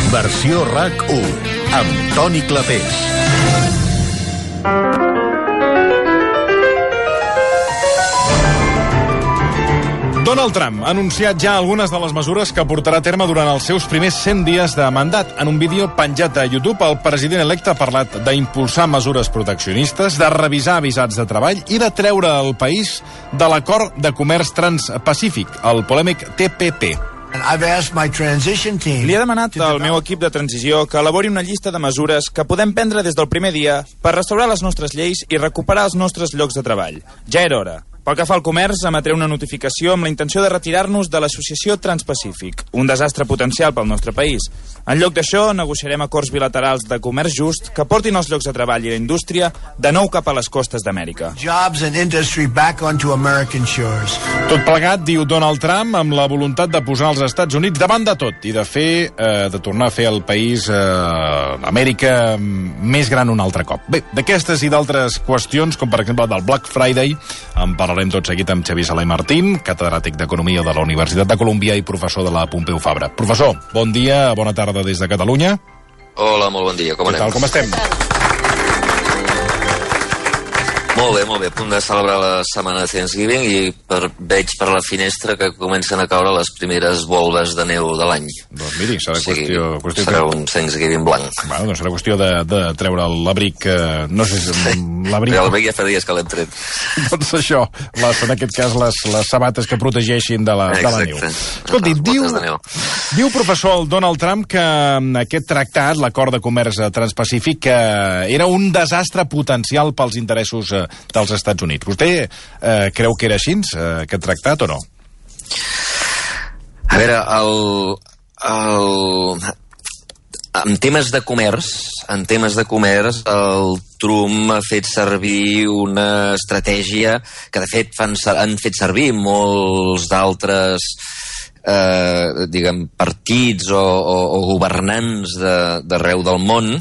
Versió RAC1 amb Toni Clapés. Donald Trump ha anunciat ja algunes de les mesures que portarà a terme durant els seus primers 100 dies de mandat. En un vídeo penjat a YouTube, el president electe ha parlat d'impulsar mesures proteccionistes, de revisar visats de treball i de treure el país de l'acord de comerç transpacífic, el polèmic TPP. Li he demanat al meu equip de transició que elabori una llista de mesures que podem prendre des del primer dia per restaurar les nostres lleis i recuperar els nostres llocs de treball. Ja era hora. Pel que fa al comerç, emetré una notificació amb la intenció de retirar-nos de l'Associació Transpacífic, un desastre potencial pel nostre país. En lloc d'això, negociarem acords bilaterals de comerç just que portin els llocs de treball i la indústria de nou cap a les costes d'Amèrica. Tot plegat, diu Donald Trump, amb la voluntat de posar els Estats Units davant de tot i de tornar a fer el país Amèrica més gran un altre cop. Bé, d'aquestes i d'altres qüestions, com per exemple del Black Friday, en parlarem tot seguit amb Xavier Sala i Martín, catedràtic d'Economia de la Universitat de Colúmbia i professor de la Pompeu Fabra. Professor, bon dia, bona tarda des de Catalunya. Hola, molt bon dia, com anem? Què tal, com estem? Molt bé, a punt de celebrar la setmana de Thanksgiving i veig per la finestra que comencen a caure les primeres volves de neu de l'any. Doncs miri, serà qüestió serà un Thanksgiving blanc. Bueno, doncs serà qüestió de treure l'abric, no sé si l'abric... L'abric ja fa dies que l'hem tret. Doncs això, en aquest cas les sabates que protegeixin de la neu. Escolti, diu professor Donald Trump que aquest tractat, l'acord de comerç transpacífic, era un desastre potencial pels interessos dels Estats Units. Vostè creu que era així, aquest tractat, o no? A veure, en temes de comerç, el Trump ha fet servir una estratègia que, de fet, han fet servir molts d'altres partits o governants d'arreu del món,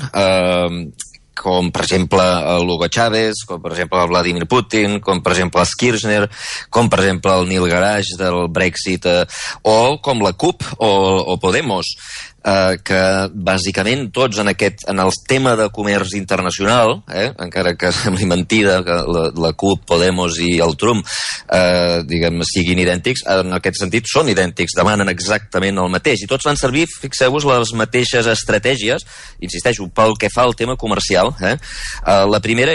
com per exemple l'Hugo Chávez, com per exemple el Vladimir Putin, com per exemple el Kirchner, com per exemple el Neil Garage del Brexit, o com la CUP o Podemos, que bàsicament tots en el tema de comerç internacional, encara que sembli mentida que la CUP, Podemos i el Trump siguin idèntics, en aquest sentit són idèntics, demanen exactament el mateix, i tots van servir, fixeu-vos, les mateixes estratègies, insisteixo, pel que fa al tema comercial. La primera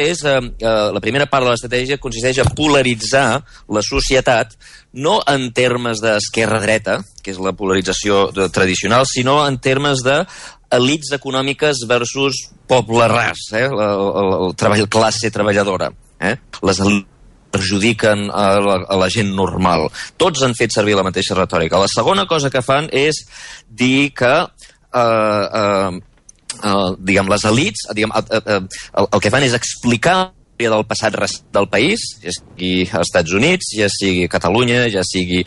part de l'estratègia consisteix a polaritzar la societat, no en termes d'esquerra-dreta, que és la polarització tradicional, sinó en termes d'elits econòmiques versus poble ras, el classe treballadora. Les elits perjudiquen a la gent normal. Tots han fet servir la mateixa retòrica. La segona cosa que fan és dir que les elits el que fan és explicar del passat del país, ja sigui als Estats Units, ja sigui Catalunya, ja sigui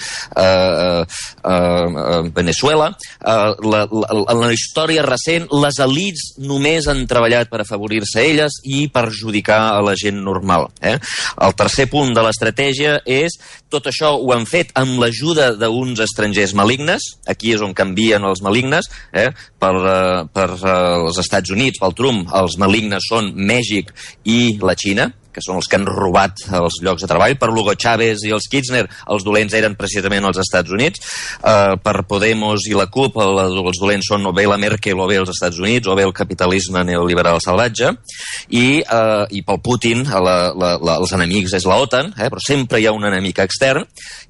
Venezuela. En la història recent, les elits només han treballat per afavorir-se elles i perjudicar a la gent normal. El tercer punt de l'estratègia és tot això ho han fet amb l'ajuda d'uns estrangers malignes. Aquí és on canvien els malignes. Per els Estats Units, pel Trump, els malignes són Mèxic i la Xina, que són els que han robat els llocs de treball. Per l'Hugo Chávez i els Kirchner, els dolents eren precisament els Estats Units. Per Podemos i la CUP, els dolents són o bé la Merkel o bé els Estats Units, o bé el capitalisme neoliberal salvatge. I pel Putin, els enemics és la OTAN, però sempre hi ha un enemic extern.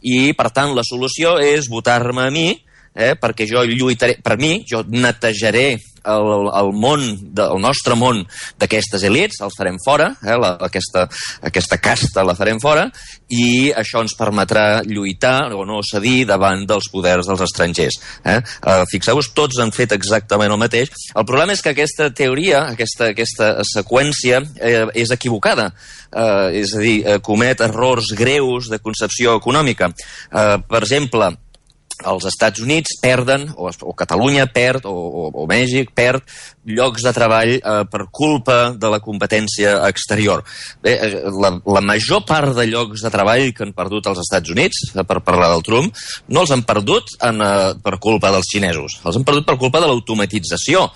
I, per tant, la solució és votar-me a mi, perquè jo lluitaré per mi, jo netejaré el món, el nostre món d'aquestes elits, els farem fora, aquesta casta la farem fora, i això ens permetrà lluitar o no cedir davant dels poders dels estrangers. Fixeu-vos, tots han fet exactament el mateix. El problema és que aquesta teoria, aquesta seqüència és equivocada, és a dir, comet errors greus de concepció econòmica. Per exemple, els Estats Units perden, o Catalunya perd, o Mèxic perd llocs de treball per culpa de la competència exterior. Bé, la major part de llocs de treball que han perdut els Estats Units, per parlar del Trump, no els han perdut per culpa dels xinesos, els han perdut per culpa de l'automatització.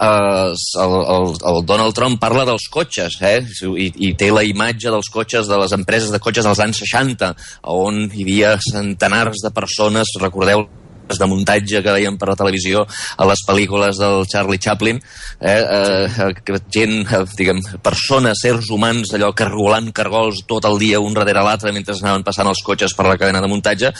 El Donald Trump parla dels cotxes, i té la imatge dels cotxes, de les empreses de cotxes dels anys 60, on hi havia centenars de persones, recordeu de muntatge que veiem per la televisió a les pel·lícules del Charlie Chaplin, gent, persones, sers humans, allò cargolant cargols tot el dia un darrere l'altre mentre anaven passant els cotxes per la cadena de muntatge.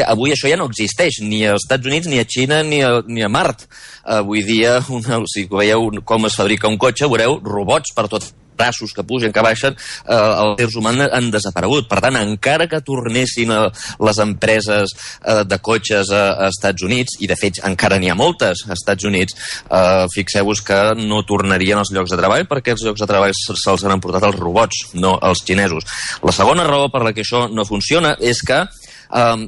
Avui això ja no existeix, ni als Estats Units, ni a Xina, ni a Mart. Avui dia, si veieu com es fabrica un cotxe, veureu robots per tot, braços que pugen, que baixen, els éssers humans han desaparegut. Per tant, encara que tornessin les empreses de cotxes a Estats Units, i de fet encara n'hi ha moltes als Estats Units, fixeu-vos que no tornarien els llocs de treball, perquè els llocs de treball se'ls han emportat els robots, no els xinesos. La segona raó per la que això no funciona és que el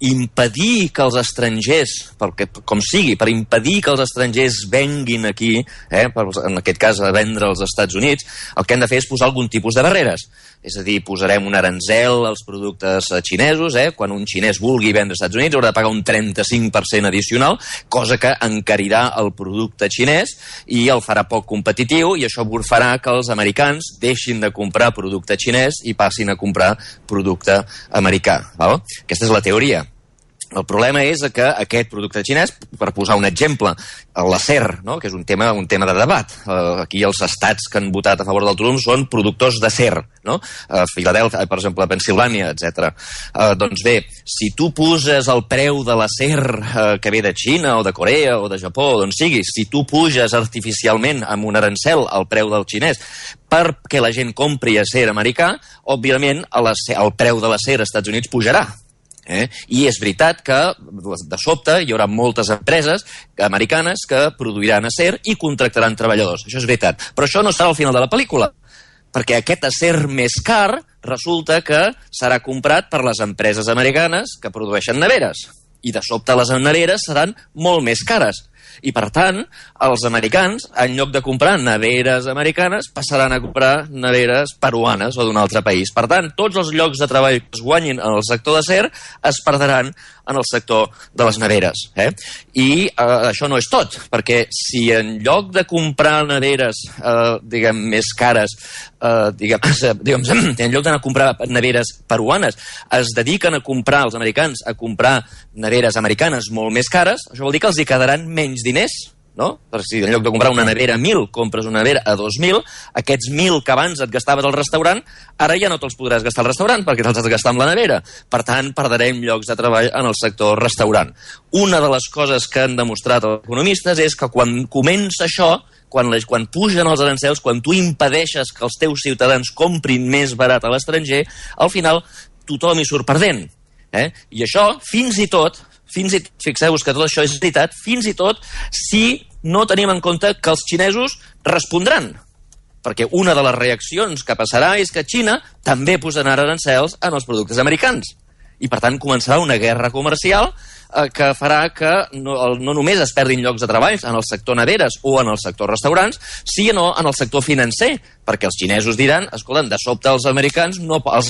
impedir que els estrangers, com sigui, per impedir que els estrangers venguin aquí, en aquest cas a vendre als Estats Units, el que han de fer és posar algun tipus de barreres. És a dir, posarem un aranzel als productes xinesos, quan un xinès vulgui vendre als Estats Units haurà de pagar un 35% addicional, cosa que encarirà el producte xinès i el farà poc competitiu, i això farà que els americans deixin de comprar producte xinès i passin a comprar producte americà. Aquesta és la teoria. El problema és que aquest producte xinès, per posar un exemple, l'acer, que és un tema de debat. Aquí els estats que han votat a favor del Trump són productors d'acer, Filadèlfia, per exemple, Pensilvània, etc. Doncs bé, si tu poses el preu de l'acer que ve de Xina o de Corea o de Japó, d'on sigui, si tu puges artificialment amb un arancel el preu del xinès perquè la gent compri acer americà, òbviament el preu de l'acer als Estats Units pujarà. I és veritat que de sobte hi haurà moltes empreses americanes que produiran acer i contractaran treballadors, això és veritat, però això no serà al final de la pel·lícula, perquè aquest acer més car resulta que serà comprat per les empreses americanes que produeixen neveres, i de sobte les neveres seran molt més cares. I, per tant, els americans, en lloc de comprar neveres americanes, passaran a comprar neveres peruanes o d'un altre país. Per tant, tots els llocs de treball que es guanyin en el sector d'acer es perdran en el sector de les neveres. I això no és tot, perquè si en lloc de comprar neveres més cares, en lloc d'anar a comprar neveres peruanes, es dediquen a comprar, els americans, a comprar neveres americanes molt més cares, això vol dir que els hi quedaran menys diners, Perquè si en lloc de comprar una nevera a 1.000, compres una nevera a 2.000, aquests 1.000 que abans et gastaves al restaurant, ara ja no te'ls podràs gastar al restaurant perquè te'ls has de gastar amb la nevera. Per tant, perdrem llocs de treball en el sector restaurant. Una de les coses que han demostrat els economistes és que quan comença això, quan pugen els arancels, quan tu impedeixes que els teus ciutadans comprin més barat a l'estranger, al final tothom hi surt perdent. I això, fins i tot, fixeu-vos que tot això és veritat, fins i tot si no tenim en compte que els xinesos respondran. Perquè una de les reaccions que passarà és que Xina també posarà arancels en els productes americans. I per tant començarà una guerra comercial que farà que no només es perdin llocs de treball en el sector neveres o en el sector restaurants, sinó en el sector financer, perquè els xinesos diran, escolta, de sobte els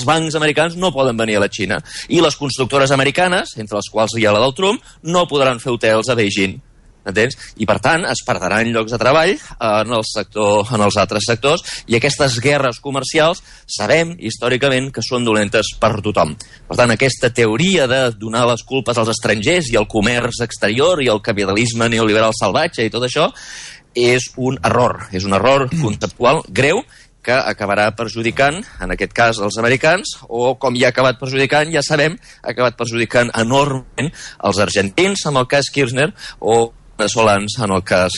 bancs americans no poden venir a la Xina, i les constructores americanes, entre les quals hi ha la del Trump, no podran fer hotels a Beijing. Entens? I per tant es perdran llocs de treball en els altres sectors, i aquestes guerres comercials sabem històricament que són dolentes per tothom. Per tant, aquesta teoria de donar les culpes als estrangers i al comerç exterior i al capitalisme neoliberal salvatge i tot això és un error conceptual greu que acabarà perjudicant, en aquest cas, els americans, o, com ja ha acabat perjudicant, ja sabem, ha acabat perjudicant enormement els argentins, amb el cas Kirchner, o veneçolans, en el cas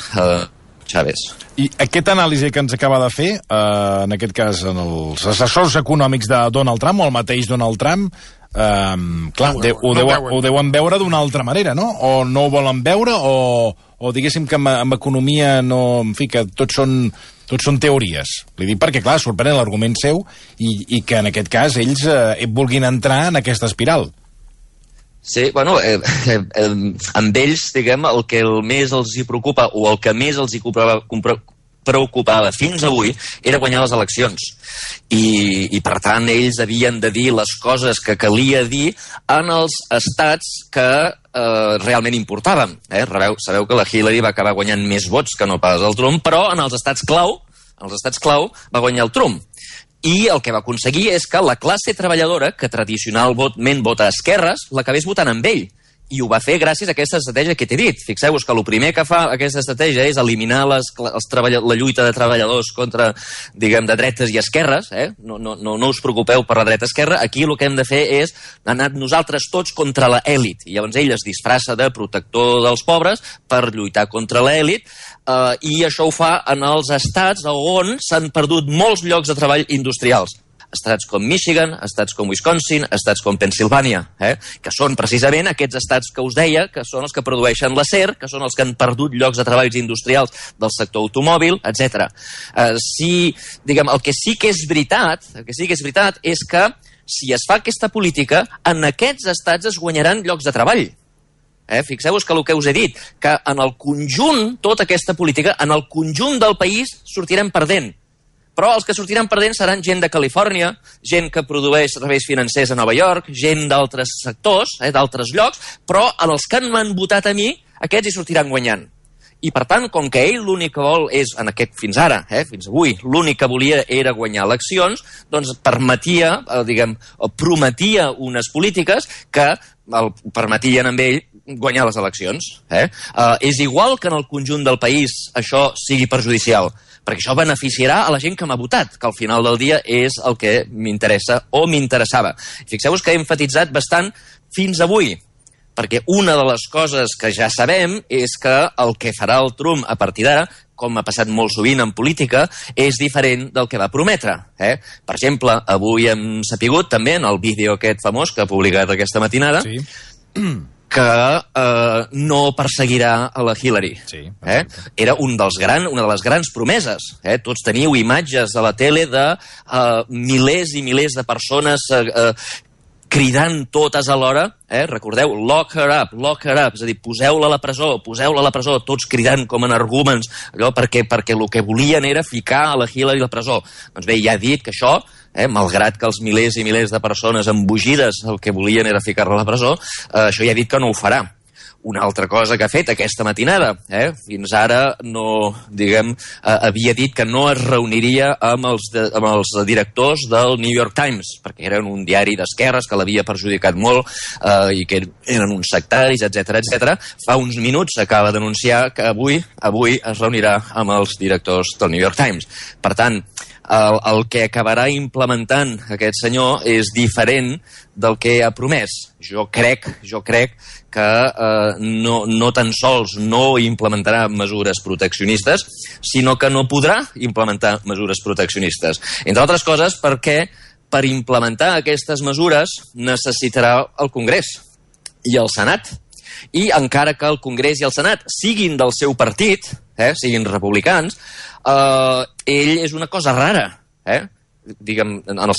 Chávez. I aquest anàlisi que ens acaba de fer, en aquest cas, en els assessors econòmics de Donald Trump, o el mateix Donald Trump, clar, ho deuen veure d'una altra manera, no? O no ho volen veure, o diguéssim que amb economia no... En fi, que tots són teories. Li dic perquè, clar, sorprèn l'argument seu i que, en aquest cas, ells vulguin entrar en aquesta espiral. Sí, bueno, amb ells, diguem, el que més els hi preocupa o el que més els hi preocupava fins avui era guanyar les eleccions. I per tant, ells havien de dir les coses que calia dir en els estats que realment importaven. Sabeu que la Hillary va acabar guanyant més vots que no pas el Trump, però en els estats clau va guanyar el Trump. I el que va aconseguir és que la classe treballadora, que tradicionalment vota a esquerres, l'acabés votant amb ell. I ho va fer gràcies a aquesta estratègia que t'he dit. Fixeu-vos que el primer que fa aquesta estratègia és eliminar la lluita de treballadors contra, diguem, de dretes i esquerres. No us preocupeu per la dreta-esquerra. Aquí el que hem de fer és anar nosaltres tots contra l'elit. I llavors ell es disfressa de protector dels pobres per lluitar contra l'elit. I això ho fa en els estats on s'han perdut molts llocs de treball industrials. Estats com Michigan, estats com Wisconsin, estats com Pennsylvania, que són precisament aquests estats que us deia, que són els que produeixen l'acer, que són els que han perdut llocs de treballs industrials del sector automòbil, etc. El que sí que és veritat és que si es fa aquesta política, en aquests estats es guanyaran llocs de treball. Fixeu-vos que el que us he dit, que en el conjunt, tota aquesta política, en el conjunt del país sortirem perdent. Però els que sortiran perdent seran gent de Califòrnia, gent que produeix serveis financers a Nova York, gent d'altres sectors, d'altres llocs, però en els que m'han votat a mi, aquests hi sortiran guanyant. I per tant, com que ell l'únic que vol és, fins ara, fins avui, l'únic que volia era guanyar eleccions, doncs prometia unes polítiques que el permetien amb ell guanyar les eleccions. És igual que en el conjunt del país això sigui perjudicial, perquè això beneficiarà a la gent que m'ha votat, que al final del dia és el que m'interessa o m'interessava. Fixeu-vos que he enfatitzat bastant fins avui, perquè una de les coses que ja sabem és que el que farà el Trump a partir d'ara, com ha passat molt sovint en política, és diferent del que va prometre. Per exemple, avui hem sapigut també en el vídeo aquest famós que ha publicat aquesta matinada, sí, que no perseguirà a la Hillary. Sí, era una de les grans promeses. Tots teniu imatges a la tele de milers i milers de persones cridant totes alhora, recordeu, lock her up, és a dir, poseu-la a la presó, tots cridant com energúmens, allò perquè el que volien era ficar a la Hillary a la presó. Doncs bé, ja he dit que això, malgrat que els milers i milers de persones embogides el que volien era ficar-la a la presó, això ja he dit que no ho farà. Una altra cosa que ha fet aquesta matinada, fins ara havia dit que no es reuniria amb els directors del New York Times, perquè eren un diari d'esquerres que l'havia perjudicat molt i que eren uns sectaris, etc. Fa uns minuts acaba d'anunciar que avui es reunirà amb els directors del New York Times. Per tant, el que acabarà implementant aquest senyor és diferent del que ha promès. Jo crec que no tan sols no implementarà mesures proteccionistes, sinó que no podrà implementar mesures proteccionistes. Entre altres coses perquè per implementar aquestes mesures necessitarà el Congrés i el Senat. I encara que el Congrés i el Senat siguin del seu partit, siguin republicans, ell és una cosa rara, diguem, en el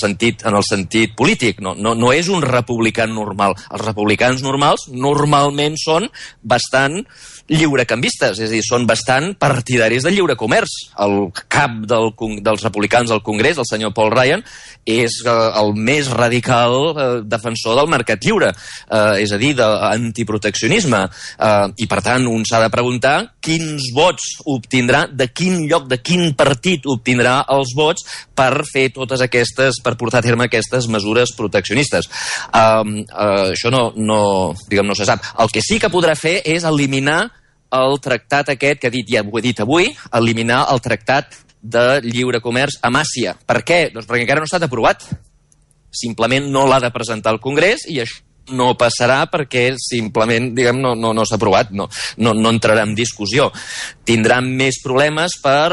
sentit polític. No és un republicà normal. Els republicans normals normalment són bastant lliurecanvistes, és a dir, són bastant partidaris del lliure comerç. El cap dels republicans al Congrés, el senyor Paul Ryan, és el més radical defensor del mercat lliure, és a dir, d'antiproteccionisme. I, per tant, un s'ha de preguntar quins vots obtindrà, de quin lloc, de quin partit obtindrà els vots per fer per portar a terme aquestes mesures proteccionistes. Això no se sap. El que sí que podrà fer és eliminar el tractat aquest que ja ho he dit avui, eliminar el tractat de lliure comerç amb Àsia. Per què? Doncs perquè encara no ha estat aprovat. Simplement no l'ha de presentar al Congrés i això no passarà perquè simplement, diguem, no s'ha aprovat, no entrarà en discussió. Tindran més problemes per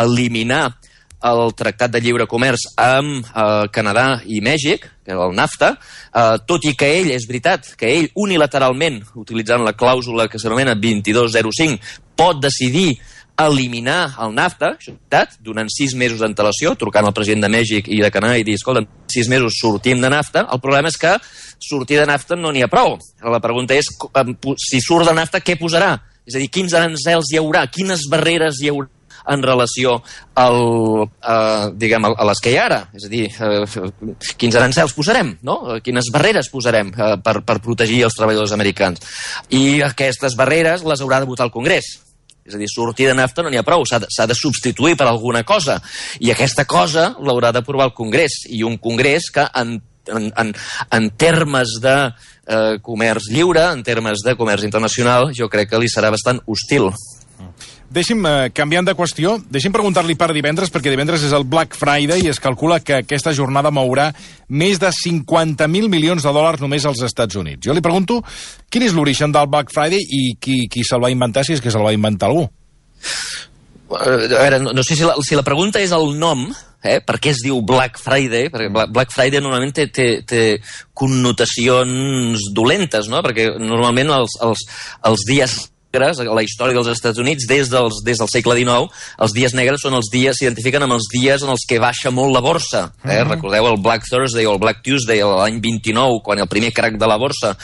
eliminar el Tractat de Lliure Comerç amb Canadà i Mèxic, que és el NAFTA, tot i que ell, és veritat, que ell unilateralment, utilitzant la clàusula que s'anomena 2205, pot decidir eliminar el NAFTA, donant 6 mesos d'antelació, trucant al president de Mèxic i de Canadà i dir, escolta, 6 mesos sortim de NAFTA. El problema és que sortir de NAFTA no n'hi ha prou. La pregunta és, si surt de NAFTA, què posarà? És a dir, quins aranzels hi haurà? Quines barreres hi haurà en relació a les que hi ha ara? És a dir, quins aranzels posarem, no? Quines barreres posarem per protegir els treballadors americans? I aquestes barreres les haurà de votar el Congrés. És a dir, sortir de NAFTA no n'hi ha prou, s'ha de substituir per alguna cosa. I aquesta cosa l'haurà d'aprovar el Congrés. I un Congrés que en termes de comerç lliure, en termes de comerç internacional, jo crec que li serà bastant hostil. Deixi'm, canviant de qüestió, deixi'm preguntar-li per divendres, perquè divendres és el Black Friday i es calcula que aquesta jornada mourà més de 50.000 milions de dòlars només als Estats Units. Jo li pregunto, quin és l'origen del Black Friday i qui se'l va inventar, si és que se'l va inventar algú? A veure, no sé si la pregunta és el nom, per què es diu Black Friday, perquè Black Friday normalment té connotacions dolentes, no? Perquè normalment els dies negres, a la història dels Estats Units, des del segle XIX, els dies negres s'identifiquen amb els dies en els que baixa molt la borsa. Recordeu el Black Thursday o el Black Tuesday l'any 29, quan el primer crac de la borsa,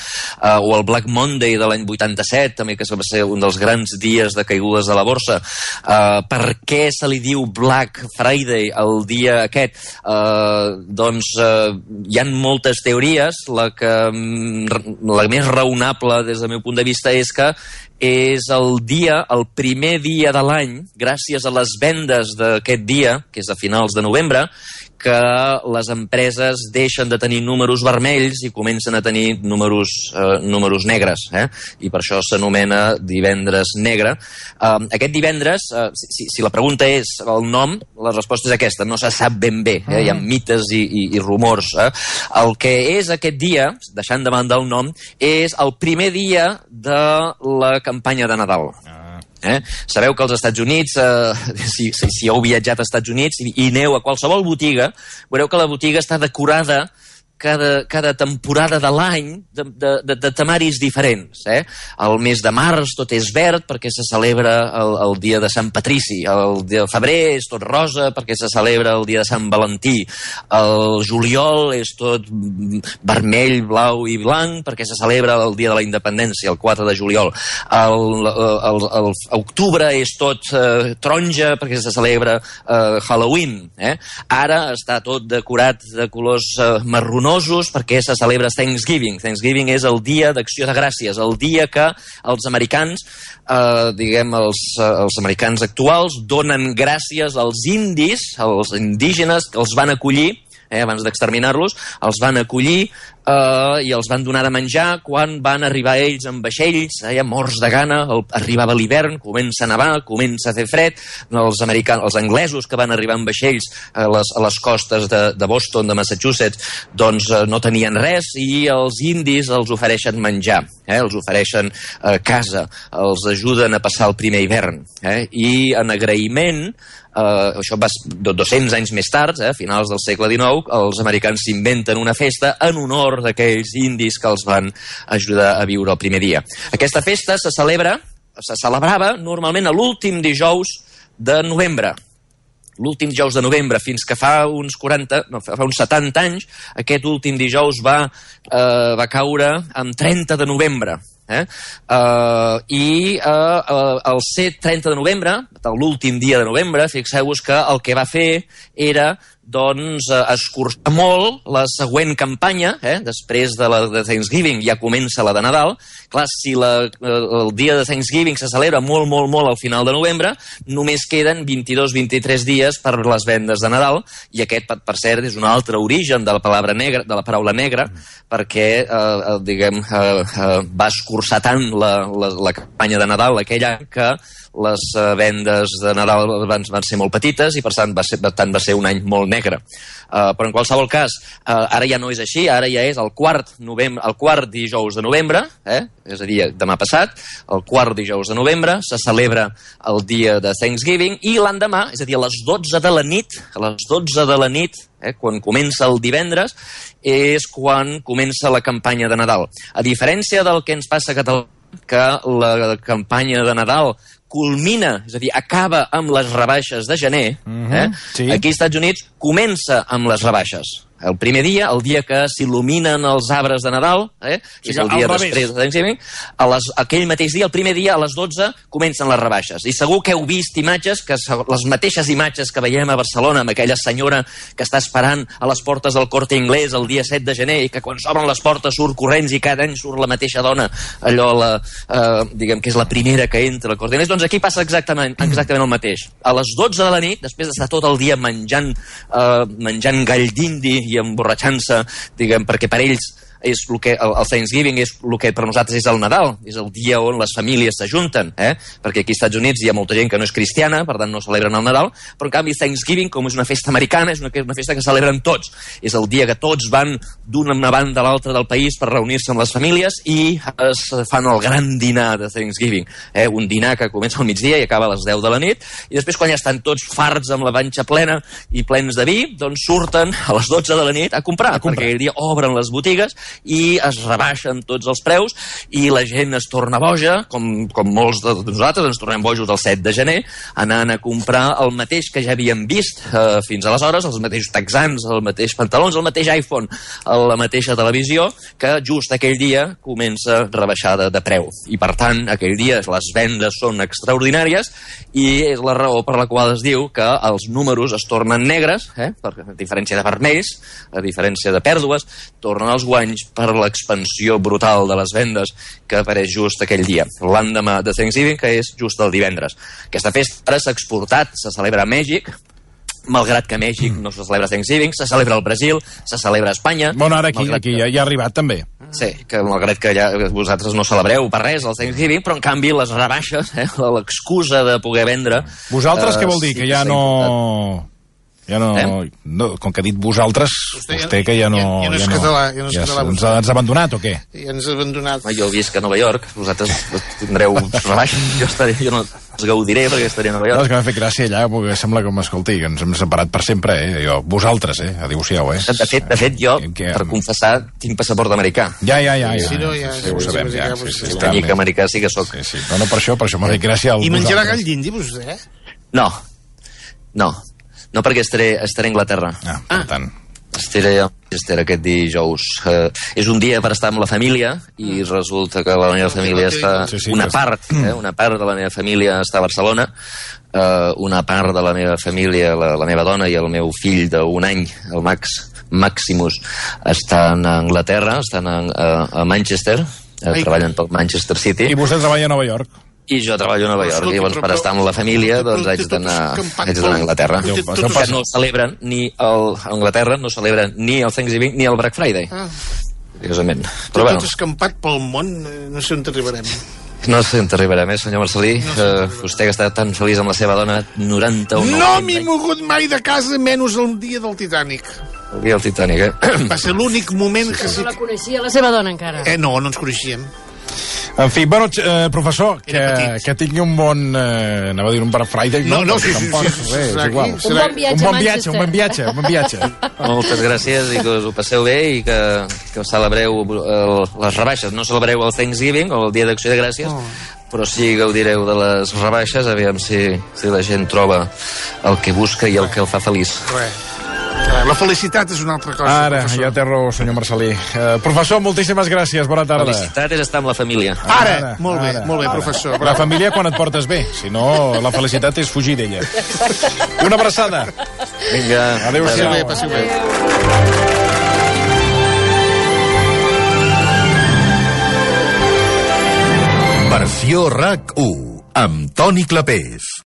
o el Black Monday de l'any 87, també, que va ser un dels grans dies de caigudes de la borsa. Per què se li diu Black Friday el dia aquest? Doncs hi ha moltes teories. La més raonable des del meu punt de vista és que és el primer dia de l'any, gràcies a les vendes d'aquest dia, que és a finals de novembre, que les empreses deixen de tenir números vermells i comencen a tenir números negres, i per això s'anomena divendres negre. Aquest divendres, si la pregunta és el nom, la resposta és aquesta, no se sap ben bé, hi ha mites i rumors. El que és aquest dia, deixant de banda el nom, és el primer dia de la campanya de Nadal. Sabeu que als Estats Units, si heu viatjat als Estats Units i aneu a qualsevol botiga, veureu que la botiga està decorada cada temporada de l'any de temaris diferents. El mes de març tot és verd perquè se celebra el dia de Sant Patrici. El de febrer és tot rosa perquè se celebra el dia de Sant Valentí. El juliol és tot vermell, blau i blanc perquè se celebra el dia de la independència, el 4 de juliol. El octubre és tot taronja perquè se celebra Halloween. Ara està tot decorat de colors marronós perquè se celebra Thanksgiving. Thanksgiving és el dia d'acció de gràcies, el dia que els americans, els americans actuals, donen gràcies als indis, als indígenes que els van acollir, abans d'exterminar-los, els van acollir i els van donar de menjar quan van arribar ells amb vaixells, morts de gana. Arribava l'hivern, comença a nevar, comença a fer fred. Els anglesos que van arribar amb vaixells a les costes de Boston, de Massachusetts, doncs no tenien res i els indis els ofereixen menjar, els ofereixen casa, els ajuden a passar el primer hivern. I en agraïment, això va 200 anys més tard, a finals del segle XIX, els americans s'inventen una festa en honor d'aquells indis que els van ajudar a viure el primer dia. Aquesta festa se celebrava normalment a l'últim dijous de novembre. L'últim dijous de novembre, fins que fa uns 70 anys, aquest últim dijous va caure en 30 de novembre. I el ser 30 de novembre, l'últim dia de novembre, fixeu-vos que el que va fer era escurçar molt la següent campanya. Després de Thanksgiving ja comença la de Nadal. Clar, si el dia de Thanksgiving se celebra molt, molt, molt al final de novembre, només queden 22-23 dies per les vendes de Nadal, i aquest, per cert, és un altre origen de la paraula negra, perquè va escurçar tant la campanya de Nadal aquell any que les vendes de Nadal van ser molt petites i per tant va ser un any molt negre. Però en qualsevol cas, ara ja no és així, ara ja és el quart dijous de novembre, és a dir, demà passat, el quart dijous de novembre, se celebra el dia de Thanksgiving, i l'endemà, és a dir, a les 12 de la nit, quan comença el divendres, és quan comença la campanya de Nadal. A diferència del que ens passa a Catalunya, que la campanya de Nadal culmina, és a dir, acaba amb les rebaixes de gener, sí. Aquí als Estats Units comença amb les rebaixes. El primer dia, el dia que s'il·luminen els arbres de Nadal, que és el dia després de Thanksgiving, aquell mateix dia, el primer dia, a les 12, comencen les rebaixes. I segur que heu vist imatges, les mateixes imatges que veiem a Barcelona, amb aquella senyora que està esperant a les portes del Corte Inglés el dia 7 de gener i que quan s'obren les portes surt corrents i cada any surt la mateixa dona, allò, diguem que és la primera que entra al Corte Inglés. Doncs aquí passa exactament el mateix. A les 12 de la nit, després d'estar tot el dia menjant gall d'indi i emborratxant-se, diguem, perquè per ells és el que el Thanksgiving és el que per nosaltres és el Nadal, és el dia on les famílies s'ajunten, perquè aquí als Estats Units hi ha molta gent que no és cristiana, per tant no celebren el Nadal, però en canvi Thanksgiving, com és una festa americana, és una festa que celebren tots. És el dia que tots van d'una banda a l'altra del país per reunir-se amb les famílies i es fan el gran dinar de Thanksgiving, un dinar que comença al migdia i acaba a les 10 de la nit, i després quan ja estan tots farts amb la panxa plena i plens de vi, doncs surten a les 12 de la nit a comprar. Perquè aquell dia obren les botigues i es rebaixen tots els preus i la gent es torna boja, com molts de nosaltres ens tornem bojos el 7 de gener, anant a comprar el mateix que ja havíem vist fins aleshores, els mateixos texans, el mateix pantalons, el mateix iPhone, la mateixa televisió, que just aquell dia comença rebaixada de preu. I per tant, aquell dia les vendes són extraordinàries i és la raó per la qual es diu que els números es tornen negres, a diferència de vermells, a diferència de pèrdues, tornen els guanys per l'expansió brutal de les vendes que apareix just aquell dia, l'endemà de Thanksgiving, que és just el divendres. Aquesta festa ara s'ha exportat, se celebra a Mèxic, malgrat que a Mèxic no se celebra Thanksgiving, se celebra al Brasil, se celebra a Espanya... Bueno, ara aquí ja ha arribat també. Sí, que malgrat que ja vosaltres no celebreu per res el Thanksgiving, però en canvi les rebaixes, l'excusa de poder vendre... Vosaltres què vol dir? Que ja no... Ja no, com que ha dit vosaltres, vostè que ja no... Ja no és català. Ens ha abandonat o què? Ja ens ha abandonat. Jo visc a Nova York, vosaltres tindreu rebaixes, jo no els gaudiré perquè estaré a Nova York. No, és que m'ha fet gràcia allà, perquè sembla que m'escolti, que ens hem separat per sempre, Jo, vosaltres, adéu-siau, De fet, jo, per confessar, tinc passaport americà. Ja. Sí, ho sabem, ja. Una mica americà sí que soc. Sí. No, per això m'ha fet gràcia... I menjarà gall d'indi, vostè? No, perquè estaré a Anglaterra. Per tant. Estaré a Manchester aquest dijous. És un dia per estar amb la família i resulta que la meva família està... Una part de la meva família està a Barcelona, una part de la meva família, la meva dona i el meu fill d'1 any, el Maximus, estan a Anglaterra, estan a Manchester, treballen pel Manchester City. I vostè treballa a Nova York. I jo treballo a Nova York, i llavors per estar amb la família doncs haig d'anar a Anglaterra. No celebren a Anglaterra no celebren ni el Thanksgiving ni el Black Friday. Curiosament. Però tot escampat pel món, no sé on arribarem. No sé on arribarem, senyor Marcelí. Vostè que està tan feliç amb la seva dona, 91 anys. No m'he mogut mai de casa, menys el dia del Titanic. El dia del Titanic, Va ser l'únic moment que... No la coneixia la seva dona encara. No ens coneixíem. En fi, bueno, professor, que tingui un bon... anava a dir un Black Friday. Sí, és igual. Un bon viatge a Manchester. Un bon viatge. Moltes gràcies i que us ho passeu bé i que celebreu les rebaixes. No celebreu el Thanksgiving o el Dia d'Acció de Gràcies, però sí gaudireu de les rebaixes, aviam si la gent troba el que busca i el que el fa feliç. La felicitat és una altra cosa. Ara, ja té raó, senyor Marcelí. Professor, moltíssimes gràcies, bona tarda. La felicitat és estar amb la família. Ara. Molt bé, professor. La família quan et portes bé, si no, la felicitat és fugir d'ella. Una abraçada. Vinga. Adéu-siau. Passi bé. Versió RAC 1 amb Toni Clapés.